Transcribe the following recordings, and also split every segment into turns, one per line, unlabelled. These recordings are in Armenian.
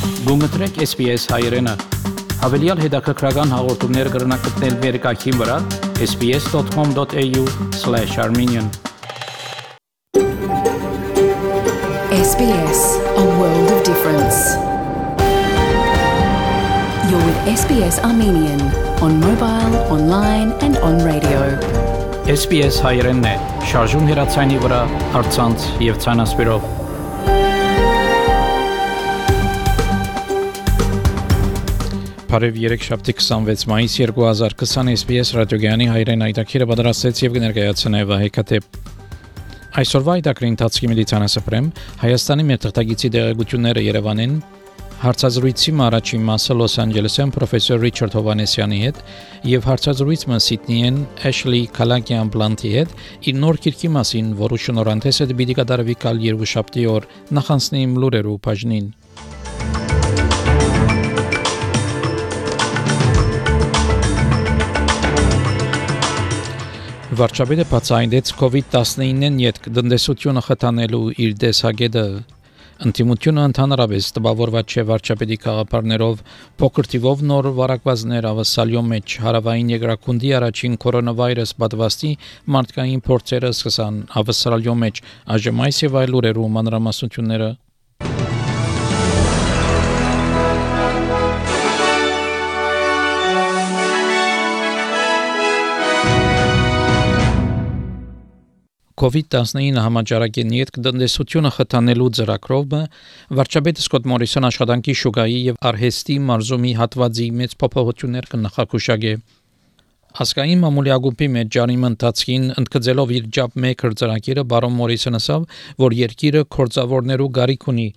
Գումտրեք SPS հայրենը, հավելյալ հետաքրքրական հաղորդումներ կրնակցնել վերկայքին վրա sbs.com.au/armenian
SBS, a world of difference. You're with SBS Armenian on mobile, online and on radio.
SPS հայրենն է, շարժուն հեռացայինի վրա, առցանց եւ ցանասպիրով։ Բարև երեքշաբթի 26 մայիս 2020 SBS ռադիոգյանի հայրեն այդակիրը պատրաստեց եւ կներկայացնե Վահե Քաթեփ։ Այսօրվա այդակրի ընթացքի մեդիցինասպրեմ Հայաստանի մետաղտագիտի դեղեցությունները Երևանին հարցազրույցի առաջին մասը Լոս Անջելեսյան պրոֆեսոր Ռիչարդ Հովանեսյանի հետ եւ հարցազրույցը Սիդնիեն Էշլի Քալակյան Բլանտի հետ իր նոր քիրքի մասին, որը շնորհանդես է դեպի կատարվի կալ երկուշաբթի օր նախանցնի իմ լուրերու բաժնին։ Վարչապետը բացահայտեց COVID-19-ին յետ տնտեսությունը խթանելու իր դեսագետը ընդդիմությունը ընդհանրապես տպավորված չէ վարչապետի քաղաքապարներով փոքր թիվով նոր վարակվածներ ավասալյո մեջ հարավային երկրակունդի առաջին կորոնավիրուս պատվաստի մարդկային փորձերը սկսան ավասալյո մեջ այժմ այս եւ այլ ուրերու մանրամասնությունները COVID-19 համաճարակի նիետ տնտեսությունը խթանելու ծրագրով վարչապետ Սկոտ Մորիսոն աշխատանքի շուկայի եւ արհեստի մարզումի հատվածի մեծ փոփոխություններ կնախագուշակե։ Ասկային մամուլի ագումբի մեջ ջարիմը ընթացքին ընդգծելով իր ջապ մեքր ծրագիրը բարոն Մորիսոնը ասավ, որ երկիրը կորձավորներու գարիք ունի,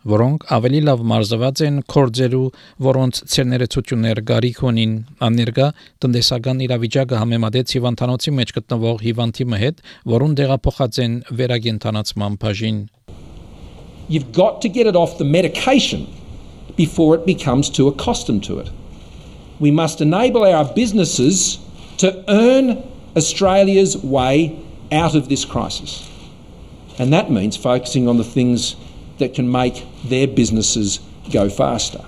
որոնք ավելի լավ մարզված են կորձերու, որոնց ցերներեցություններ գարիք ունին։ Աներգա տնտեսական իրավիճակը համեմատեց հիվանդանոցի մեջ գտնվող հիվանդի հետ, որուն դեղափոխած են վերագենտանացման բաժին։
You've got to get it off the medication before it becomes too accustomed to it. We must enable our businesses to earn Australia's way out of this crisis. And that means focusing on the things that can make their businesses go faster.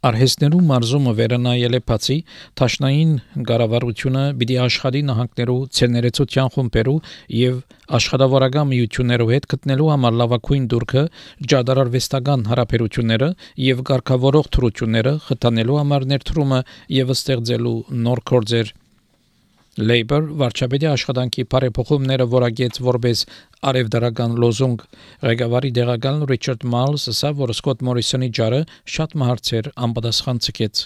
Արհեստներու մարզումը վերանայել է բացի Թաշնային գարավարությունը պիտի աշխատի նահանգներու ցերներեցության խումբերու եւ աշխատավորական միություններու հետ գտնելու համար լավագույն դուրքը ջադարարվեստական հարաբերությունները եւ ղեկավարող թրությունները խթանելու համար ներդրումը եւ ստեղծելու նոր գործեր Labour վարչապետի աշխատանքի բարեփոխումները որակեց որպես արևդարական լոզունգ ղեկավարի դեղական Ռիչարդ Մալսը ասավ որ Սկոտ Մորիսոնի ջարը շատ մահացեր անպատասխան ցկեց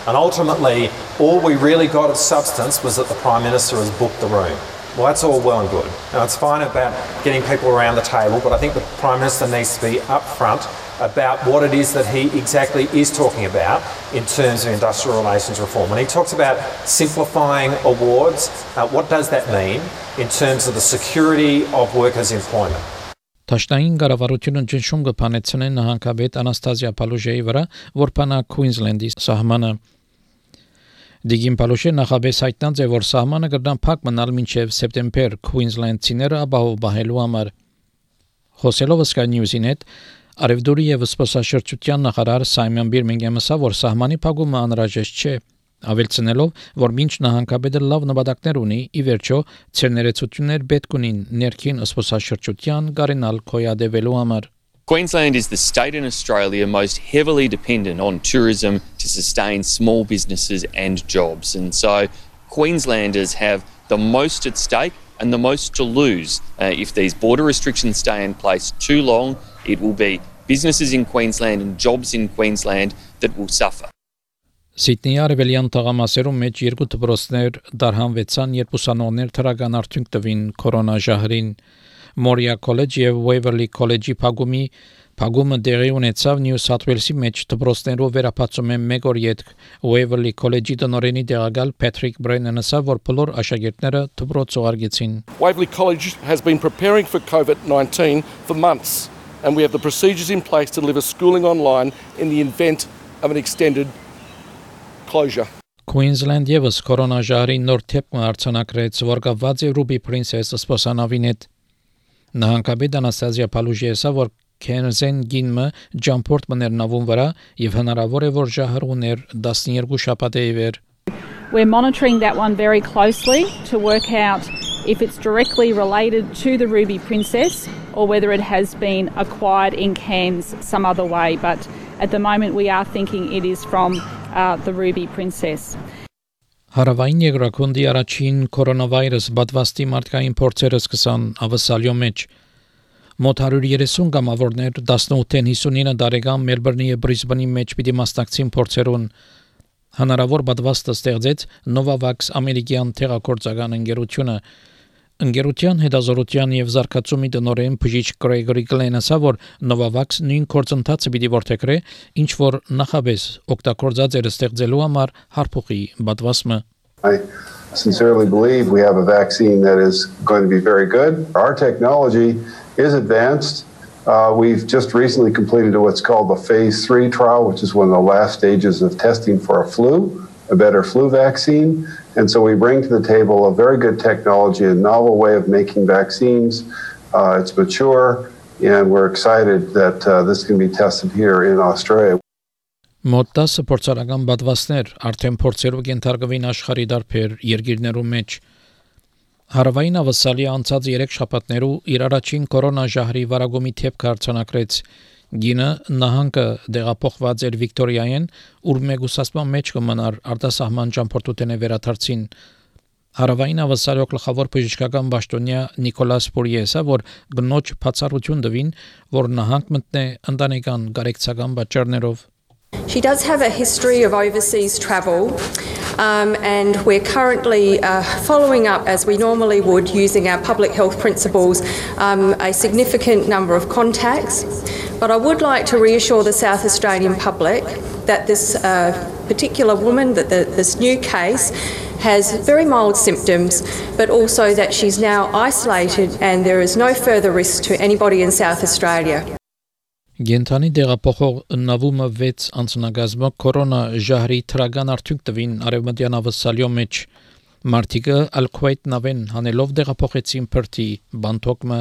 And ultimately all we really got of substance was that the Prime Minister has booked the room. Well, that's all well and good. Now it's fine about getting people around the table, but I think the Prime Minister needs to be upfront about what it is that he exactly is talking about in terms of industrial relations reform. When he talks about simplifying awards, what does that mean in terms of the security of workers' employment?
Թաշնային գարավարությունը ճնշում կփանեցնե նահանգապետ Անաստազիա Պալուժեի վրա, որ փանա Քուինզլենդի սահմանը։ Դիգին Պալուժե նախաբես հայտնած է, որ սահմանը կրնան փակ մնալ մինչև սեպտեմբեր Քուինզլենդցիները ապահովելու համար։ Խոսելով Sky News-ին հետ Արևդուրի եւ սպասաշրջության նախարար Սայմոն Բիրմինգհամը ասա, որ սահմանի փակումը անհրաժեշտ չէ, ավելցնելով, որ մինչ նահանգապետը լավ նպատակներ ունի, ի վերջո ցերներեցություններ պետք ունին ներքին սպասաշրջության գարենալ կոյադևելու համար։
Queensland is the state in Australia most heavily dependent on tourism to sustain small businesses and jobs. And so Queenslanders have the most at stake and the most to lose. If these border restrictions stay in place too long, it will be businesses in Queensland and jobs in Queensland that will suffer.
Սիդնեի արևելյան տղամասերում մեջ երկու դպրոցներ դարհանվեցան, երբ ուսանողներ թրական արդյունք տվին կորոնաժահրին։ Մորիա Քոլեջ եւ Waverley Քոլեջի փակումը դեղի ունեցավ Նյու Սաթ Ուելսի մեջ դպրոցներով վերապացում են մեկ օր յետ Waverley Քոլեջի տնօրենի դեղակալ Patrick Brennan ասավ, որ բոլոր աշակերտները դպրոց ուղարկեցին։
Waverley College has been preparing for COVID-19 for months, and we have the procedures in place to deliver schooling online in the event of an extended closure.
Queensland եւս կորոնաժահրի նոր թեփ արձանագրեց, որ կապված է Ruby Princess սպասանավին հետ։ Նահանգապետ Անաստազիա Պալուժեը ասավ, որ Քենզեն գինմը ջամփորտ մներ նավուն վրա եւ հնարավոր է որ ժահրուներ 12 շաբաթ է իվեր
We're monitoring that one very closely to work out if it's directly related to the Ruby Princess or whether it has been acquired in Cairns some other way. But at the moment we are thinking it is from the Ruby Princess.
Հարավային երկրակոնդի առաջին կորոնավիրուս բադվաստի մարդկային փորձերը սկսան ավսալյո մեջ մոտ 130 գամավորներ 18-ին 59 տարեկան Մելբուրնի եւ Բրիսբենի մեջ պիտի մասնակցին փորձերուն հնարավոր բադվաստը ստեղծեց Novavax ամերիկյան թերակորձական ընկերության հետազոտության եւ զարգացումի տնօրեն բժիշկ Գրեգորի Գլենասը որ Novavax նույն կորձընթացը պիտի որթեքրե ինչ որ նախաբես օգտագործած էր ստեղծելու համար հարփուխի բադվասմը
I sincerely believe we have a vaccine that is going to be very good. Our technology is advanced. We've just recently completed what's called the phase 3 trial, which is one of the last stages of testing for a better flu vaccine. And so we bring to the table a very good technology, a novel way of making vaccines. It's mature, and we're excited that this can be tested here in Australia.
Մոտ 10 փորձարական բադվաստներ արդեն փորձերով կենթարկվին աշխարհի դարբեր երկիրներում մեջ Հարավային ավսալի անցած 3 շաբաթներու իր առաջին կորոնաժահրի վարագումի թեփք արձանագրեց գինը նահանգը դեղափոխված էր Վիկտորիայեն ուր մեգուսասման մեջ կմնար արտասահման ճամփորդութենե վերաթարցին Հարավային ավսալի գլխավոր բժշկական պաշտոնյա Նիկոլաս Պուրիեսը որ գնոջ բացառություն տվին որ նահանգ մտնե ընտանեկան գարեկցական պատճառներով
She does have a history of overseas travel and we're currently following up as we normally would using our public health principles a significant number of contacts. But I would like to reassure the South Australian public that this particular woman, that this new case has very mild symptoms, but also that she's now isolated and there is no further risk to anybody in South Australia.
Գենթանի դեղափոխող նավումը 6 անձնագազմը կորոնա ժահրի թրագան արդյունք տվին արևմտյան ավսալյո մեջ մարտիկը Al-Kuwait նավեն հանելով դեղափոխեցին Perth-ի Bangkok-ը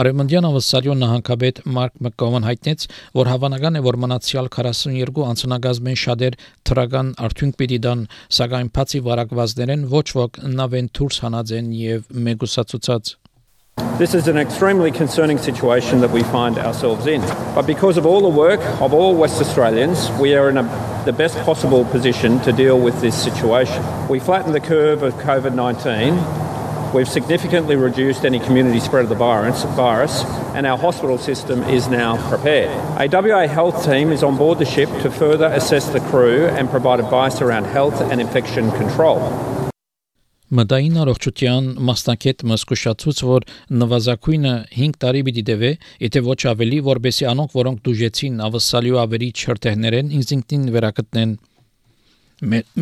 արևմտյան ավսալյո նահանգապետ Մարկ Մակգովան հայտնեց որ հավանական է որ մնացյալ 42 անձնագազմեն շատեր թրագան արդյունք պիտի դան սակայն բացի վարակվածներեն ոչ ոք նավեն դուրս հանած են եւ մեգուսացուցած
This is an extremely concerning situation that we find ourselves in. But because of all the work of all West Australians, we are in the best possible position to deal with this situation. We flattened the curve of COVID-19. We've significantly reduced any community spread of the virus, and our hospital system is now prepared. A WA health team is on board the ship to further assess the crew and provide advice around health and infection control.
Մտային առողջության մասնակետ մսկուշացուց որ նվազագույնը 5 տարի պիտի դեվե, եթե ոչ ավելի, որբեսի անոնք, որոնք դուժեցին ավսալյո ավերի չրտեղներեն ինքնին վերակտնեն։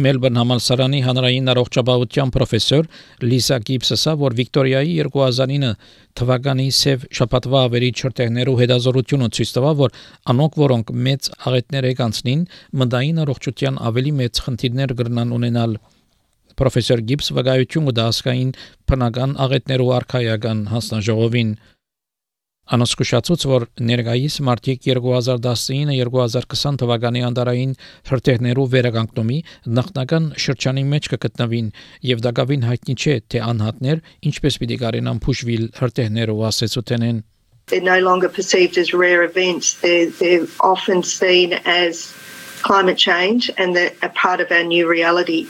Մելբուրն համալսարանի հանրային առողջապահության պրոֆեսոր Լիսա Գիբսը, որ Վիկտորիայի 2009 թվականի սև շաբաթվա ավերի չրտեղներու հետազոտությունը ցույց տվավ, որ անոնք, որոնք մեծ աղետներ եկանցնին, մտային առողջության ավելի մեծ խնդիրներ կրնան ունենալ։ Պրոֆեսոր Գիբս վկայություն կդասկային բնական աղետներու արքայական հանձնաժողովին Անոսկուշացուց որ ներկայիս մարտիկ 2019-2020 թվականի անդարային հրթիռներու վերականգնումի նախնական շրջանի մեջ կգտնվին եւ դակավին հայտնի չէ թե անհատներ ինչպես պիտի կարենան փուշվել հրթիռներու ասեցութենեն
They're no longer perceived as rare events. They're often seen as climate change and they're a part of our new reality.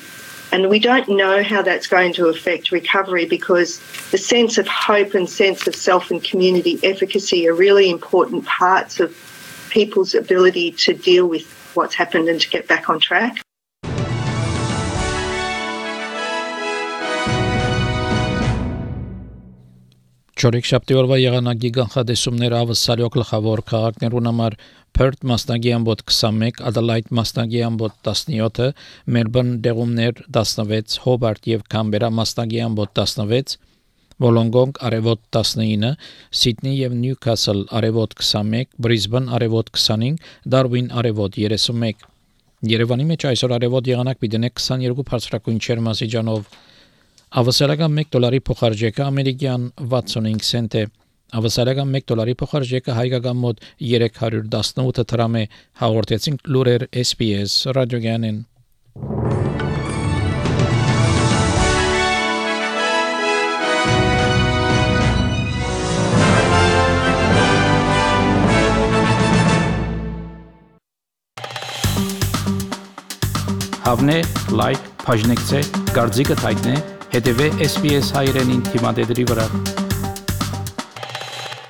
And we don't know how that's going to affect recovery because the sense of hope and sense of self and community efficacy are really important parts of people's ability to deal with what's happened and to get back on track.
Չորեքշաբթի օրվա եղանակի կանխատեսումները ավսալյո գլխավոր քաղաքներուն համար Perth մասնագի ամբոտ 21, Adelaide մասնագի ամբոտ 17, Melbourne դեղումներ 16, Hobart եւ Canberra մասնագի ամբոտ 16, Wollongong արևոտ 19, Sydney եւ Newcastle արևոտ 21, Brisbane արևոտ 25, Darwin արևոտ 31։ Երևանի մեջ այսօր արևոտ եղանակ պիտի 22 բարձրակույն չերմասիջանով Ավսալական $1 փոխարժեքը ամերիկյան 65 سنت է Ավասարական $1 փոխարժեքը հայկական մոտ 318 դրամ է, հաղորդեցին լուրեր SPS ռադիոգյանին։ Հավնե, լայք, բաժնեկցե, դարձիկը թայտնե, հետևե SPS հայրենին թիմադեդի վրա։